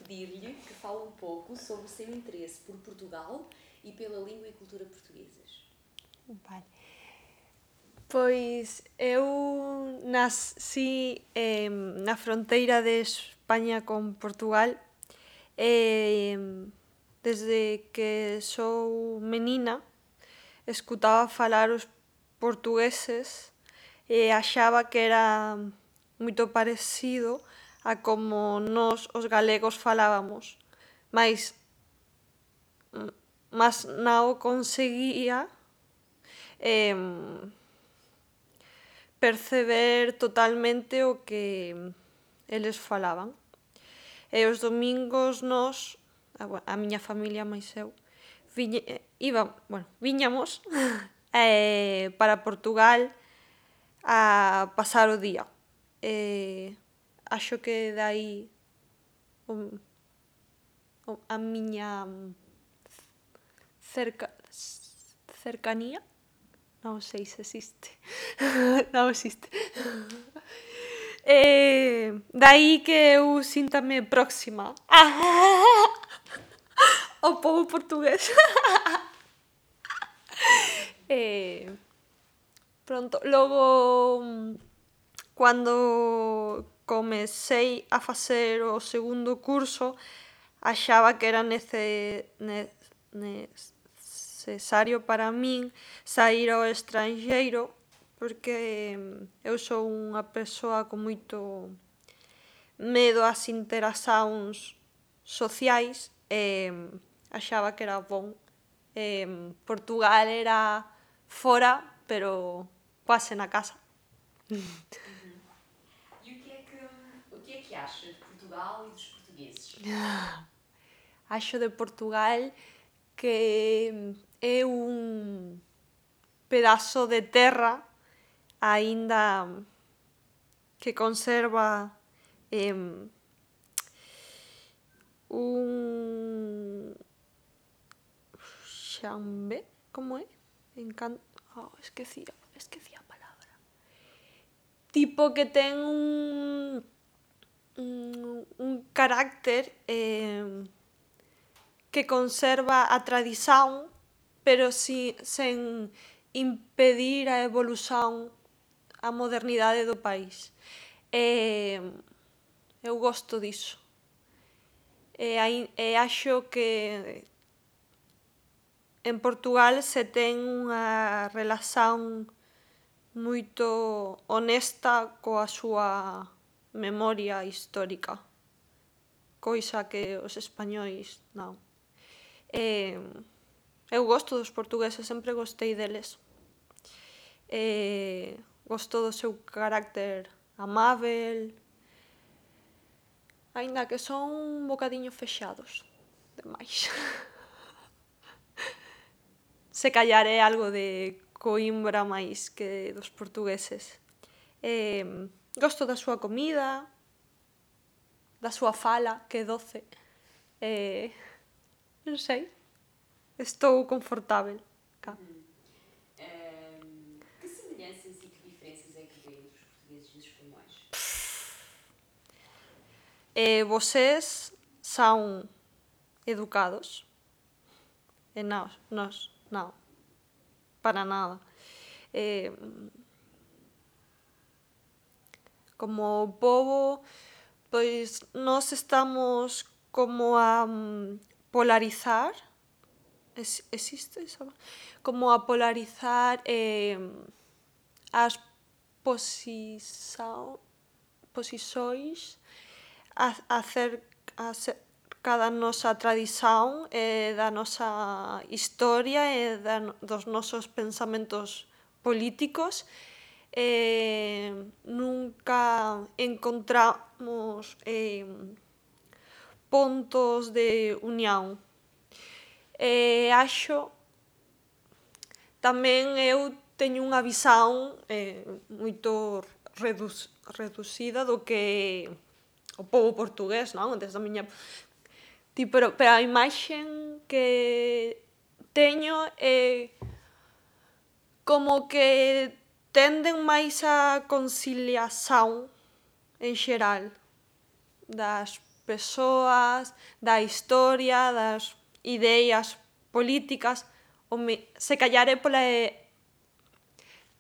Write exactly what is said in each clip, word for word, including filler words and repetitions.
pedir-lhe que fale um pouco sobre o seu interesse por Portugal e pela língua e cultura portuguesas. Vale. Pois eu nasci eh, na fronteira de España con Portugal e desde que sou menina escutaba falar os portugueses e achaba que era moito parecido a como nós os galegos falábamos, mais mas non conseguía eh, perceber totalmente o que eles falaban. E os domingos nós, a miña familia máis eu, viñe, iba, bueno, viñamos eh, para Portugal a pasar o día. E acho que dai o, o, a miña cerca, cercanía, non sei se existe, non existe. E dai que eu síntame próxima ao pobo portugués. E pronto, logo cando comecei a facer o segundo curso achaba que era nece, ne, necesario para min saír ao estranxeiro porque eu sou unha persoa con moito medo ás interacións sociais e achaba que era bon. E Portugal era fora, pero quase na casa. Uhum. E o que é que, o que é que acha de Portugal e dos portugueses? Acho de Portugal que é un pedazo de terra aínda que conserva eh, un xambe, como é? Encan... Oh, esquecía, esquecía a palabra. Tipo que ten un un, un carácter eh, que conserva a tradición, pero si, sen impedir a evolución, a modernidade do país. E eu gosto diso. E, e acho que en Portugal se ten unha relación moito honesta coa súa memoria histórica, coisa que os españois non. E eu gosto dos portugueses, sempre gostei deles. E gosto do seu carácter amável, aínda que son un bocadiño fexados, demais. Se callar é algo de Coimbra máis que dos portugueses. E gosto da súa comida, da súa fala, que é doce. E non sei, estou confortável cá. Uhum. Um, que semelhanças e que diferenças é que vê entre os portugueses e os espanhóis? E vocês son educados e nós, nós non, para nada. E, como pobo, pois nós estamos como a polarizar, es, existe esa? Como a polarizar eh, as posição, posições acerca da nosa tradición e da nosa historia e da, dos nosos pensamentos políticos. E nunca encontramos eh, pontos de unión. E acho tamén eu teño unha visão eh, moito redu reducida do que o pobo portugués, non? Desde a miña... Pero, pero a imaxe que teño é como que tenden máis a conciliación en xeral das persoas, da historia, das ideas políticas, o me, se callar é pola,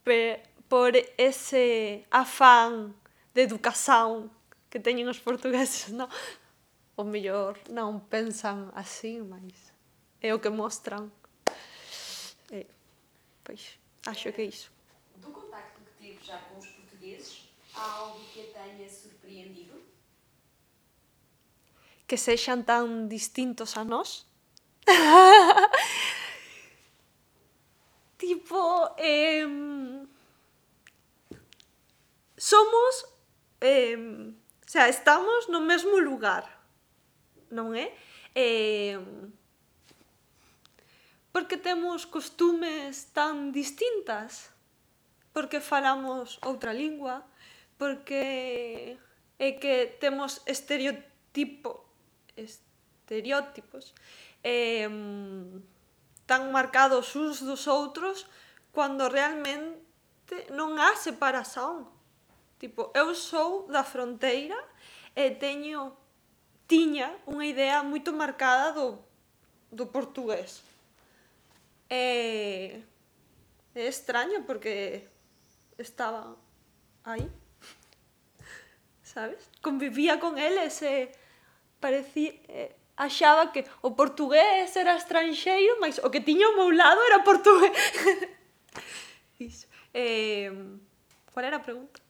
pe, por ese afán de educación que teñen os portugueses, non? O mellor non pensan así, mas é o que mostran. E, pois, acho que é iso. Do contacto que tive já com os portugueses, há algo que a tenha surpreendido? Que sexan tan distintos a nós. Tipo, eh, somos, eh, o sea, estamos no mesmo lugar, non é? Eh, porque temos costumes tan distintas, porque falamos outra lingua, porque é que temos estereotipo, estereótipos eh, tan marcados uns dos outros cando realmente non há separación. Tipo, eu sou da fronteira e teño, tiña unha idea moito marcada do, do portugués. E é extraño porque estaba aí, sabes? Convivía con eles e parecía, eh, achaba que o portugués era estranxeiro, mas o que tiña ao meu lado era portugués. Iso. Eh, qual era a pregunta?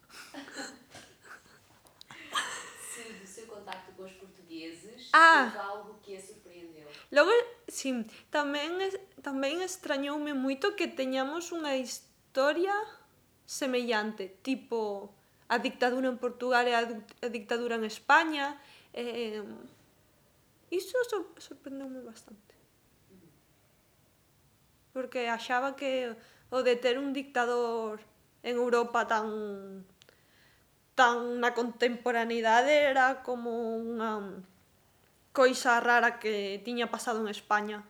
Se do seu contacto com os portugueses, Ah. houve algo que a surpreendeu. Logo, si, tamén, tamén extrañoume moito que teñamos unha historia semellante, tipo a dictadura en Portugal e a, a dictadura en España. Eh, iso sor, sorprendeume bastante. Porque achaba que o de ter un dictador en Europa tan tan na contemporaneidade era como unha coisa rara que tiña pasado en España.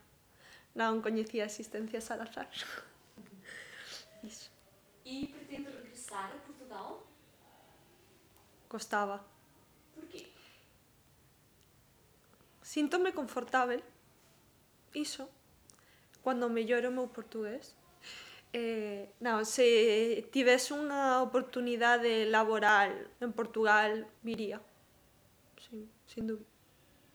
Non coñecía a existencia de Salazar. Iso. E pretende regressar a Portugal? Costaba. Porquê? Síntome confortável. Iso. Cando mellore o meu portugués. Eh, non, se tivese unha oportunidade laboral en Portugal, viría. Sí, sin dúbida.